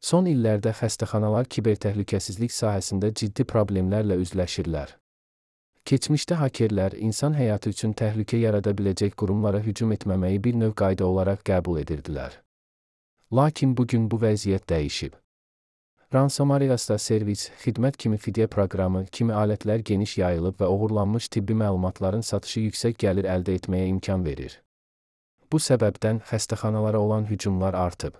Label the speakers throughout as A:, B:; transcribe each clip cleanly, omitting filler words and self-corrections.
A: Son illərdə xəstəxanalar kibertəhlükəsizlik sahəsində ciddi problemlərlə üzləşirlər. Keçmişdə hakerlər insan həyatı üçün təhlükə yarada biləcək qurumlara hücum etməməyi bir növ qayda olaraq qəbul edirdilər. Lakin bugün bu vəziyyət dəyişib. Ransomware servis, xidmət kimi fidyə proqramı kimi alətlər geniş yayılıb və oğurlanmış tibbi məlumatların satışı yüksək gəlir əldə etməyə imkan verir. Bu səbəbdən xəstəxanalara olan hücumlar artıb.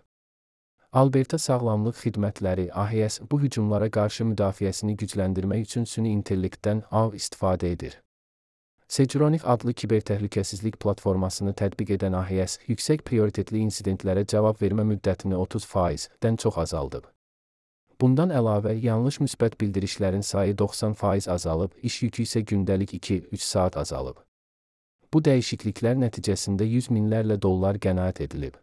A: Alberta Sağlamlıq Xidmətləri (AHS) bu hücumlara qarşı müdafiəsini gücləndirmək üçün süni intellektdən istifadə edir. Securonix adlı kibertəhlükəsizlik platformasını tətbiq edən AHS, yüksək prioritetli insidentlərə cavab vermə müddətini 30%-dən çox azaldıb. Bundan əlavə, yanlış müsbət bildirişlərin sayı 90% azalıb, iş yükü isə gündəlik 2-3 saat azalıb. Bu dəyişikliklər nəticəsində yüz minlərlə dollar qənaət edilib.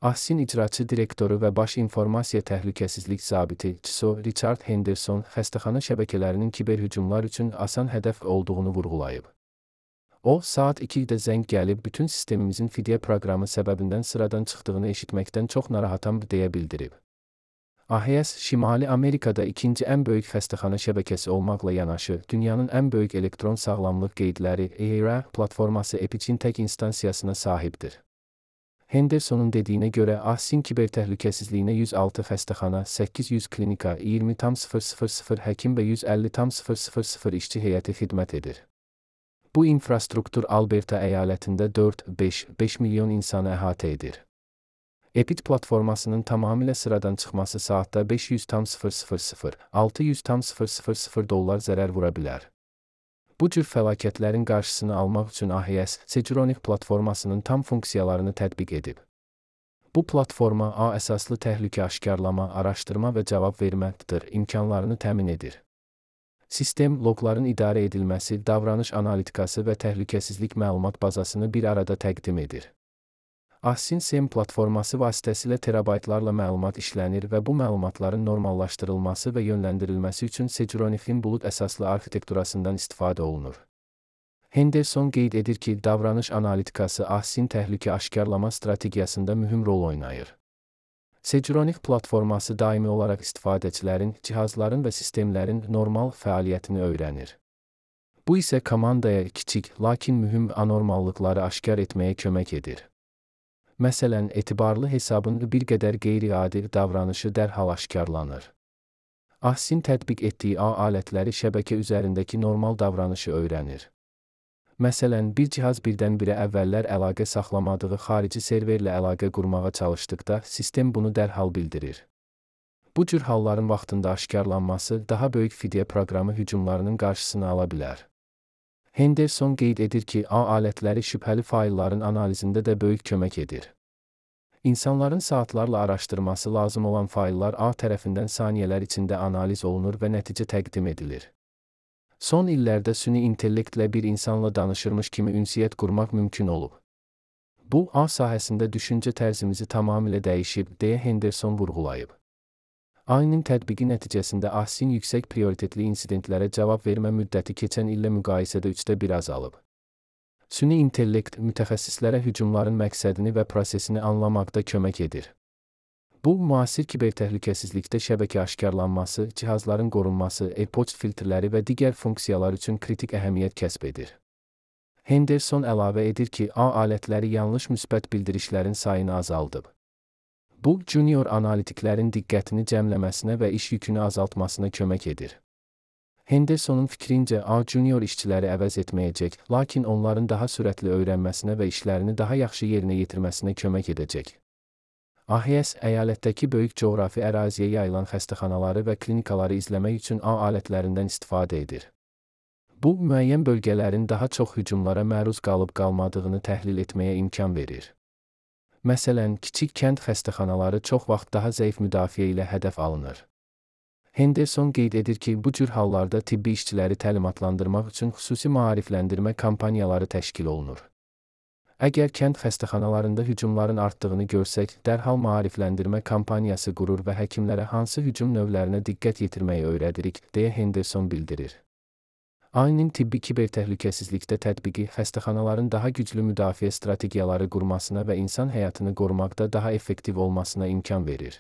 A: AHS-in icraçı direktoru və baş informasiya təhlükəsizlik zabiti CISO Richard Henderson xəstəxana şəbəkələrinin kiberhücumlar üçün asan hədəf olduğunu vurğulayıb. O, saat 2-də zəng gəlib bütün sistemimizin fidyə proqramı səbəbindən sıradan çıxdığını eşitməkdən çox narahatam deyə bildirib. AHS, Şimali Amerikada ikinci ən böyük xəstəxana şəbəkəsi olmaqla yanaşı, dünyanın ən böyük elektron sağlamlıq qeydləri EHR platforması Epic'in tək instansiyasına sahibdir. Hendersonun dediyinə görə, AHS-in kibertəhlükəsizliyinə 106 xəstəxana, 800 klinika, 20,000 həkim və 150,000 işçi heyəti xidmət edir. Bu infrastruktur Alberta əyalətində 4-5 milyon insanı əhatə edir. Epic platformasının tamamilə sıradan çıxması saatda 500,000-600,000 dollar zərər vura bilər. Bu cür fəlakətlərin qarşısını almaq üçün AHS, Securonix platformasının tam funksiyalarını tətbiq edib. Bu platforma əsaslı təhlükə aşkarlama, araşdırma və cavab vermədir imkanlarını təmin edir. Sistem, loqların idarə edilməsi, davranış analitikası və təhlükəsizlik məlumat bazasını bir arada təqdim edir. AHS-in SEM platforması vasitəsilə terabaytlarla məlumat işlənir və bu məlumatların normallaşdırılması və yönləndirilməsi üçün Securonix'in bulud əsaslı arxitekturasından istifadə olunur. Henderson qeyd edir ki, davranış analitikası AHS-in təhlükə aşkarlama strategiyasında mühüm rol oynayır. Securonix platforması daimi olaraq istifadəçilərin, cihazların və sistemlərin normal fəaliyyətini öyrənir. Bu isə komandaya kiçik, lakin mühüm anormallıqları aşkar etməyə kömək edir. Məsələn, etibarlı hesabın bir qədər qeyri-adi davranışı dərhal aşkarlanır. AHS-in tətbiq etdiyi alətləri şəbəkə üzərindəki normal davranışı öyrənir. Məsələn, bir cihaz birdən-birə əvvəllər əlaqə saxlamadığı xarici serverlə əlaqə qurmağa çalışdıqda, sistem bunu dərhal bildirir. Bu cür halların vaxtında aşkarlanması daha böyük fidyə proqramı hücumlarının qarşısını ala bilər. Henderson qeyd edir ki, alətləri şübhəli faylların analizində də böyük kömək edir. İnsanların saatlarla araşdırması lazım olan fayllar tərəfindən saniyələr içində analiz olunur və nəticə təqdim edilir. Son illərdə süni intellektlə bir insanla danışırmış kimi ünsiyyət qurmaq mümkün olub. Bu, sahəsində düşüncə tərzimizi tamamilə dəyişib, deyə Henderson vurğulayıb. AHS-in tətbiqi nəticəsində AHS-in yüksək prioritetli insidentlərə cavab vermə müddəti keçən illə müqayisədə 1/3 azalıb. Süni intellekt mütəxəssislərə hücumların məqsədini və prosesini anlamaqda kömək edir. Bu, müasir kibertəhlükəsizlikdə şəbəkə aşkarlanması, cihazların qorunması, e-poçt filtrləri və digər funksiyalar üçün kritik əhəmiyyət kəsb edir. Henderson əlavə edir ki, alətləri yanlış müsbət bildirişlərin sayını azaldıb. Bu, junior analitiklərin diqqətini cəmləməsinə və iş yükünü azaltmasına kömək edir. Hendersonun fikrincə, junior işçiləri əvəz etməyəcək, lakin onların daha sürətli öyrənməsinə və işlərini daha yaxşı yerinə yetirməsinə kömək edəcək. AHS, əyalətdəki böyük coğrafi əraziyə yayılan xəstəxanaları və klinikaları izləmək üçün alətlərindən istifadə edir. Bu, müəyyən bölgələrin daha çox hücumlara məruz qalıb-qalmadığını təhlil etməyə imkan verir. Məsələn, kiçik kənd xəstəxanaları çox vaxt daha zəif müdafiə ilə hədəf alınır. Henderson qeyd edir ki, bu cür hallarda tibbi işçiləri təlimatlandırmaq üçün xüsusi maarifləndirmə kampaniyaları təşkil olunur. Əgər kənd xəstəxanalarında hücumların artdığını görsək, dərhal maarifləndirmə kampaniyası qurur və həkimlərə hansı hücum növlərinə diqqət yetirməyi öyrədirik, deyə Henderson bildirir. AHS-in tibbi kibertəhlükəsizlikdə tətbiqi xəstəxanaların daha güclü müdafiə strategiyaları qurmasına və insan həyatını qorumaqda daha effektiv olmasına imkan verir.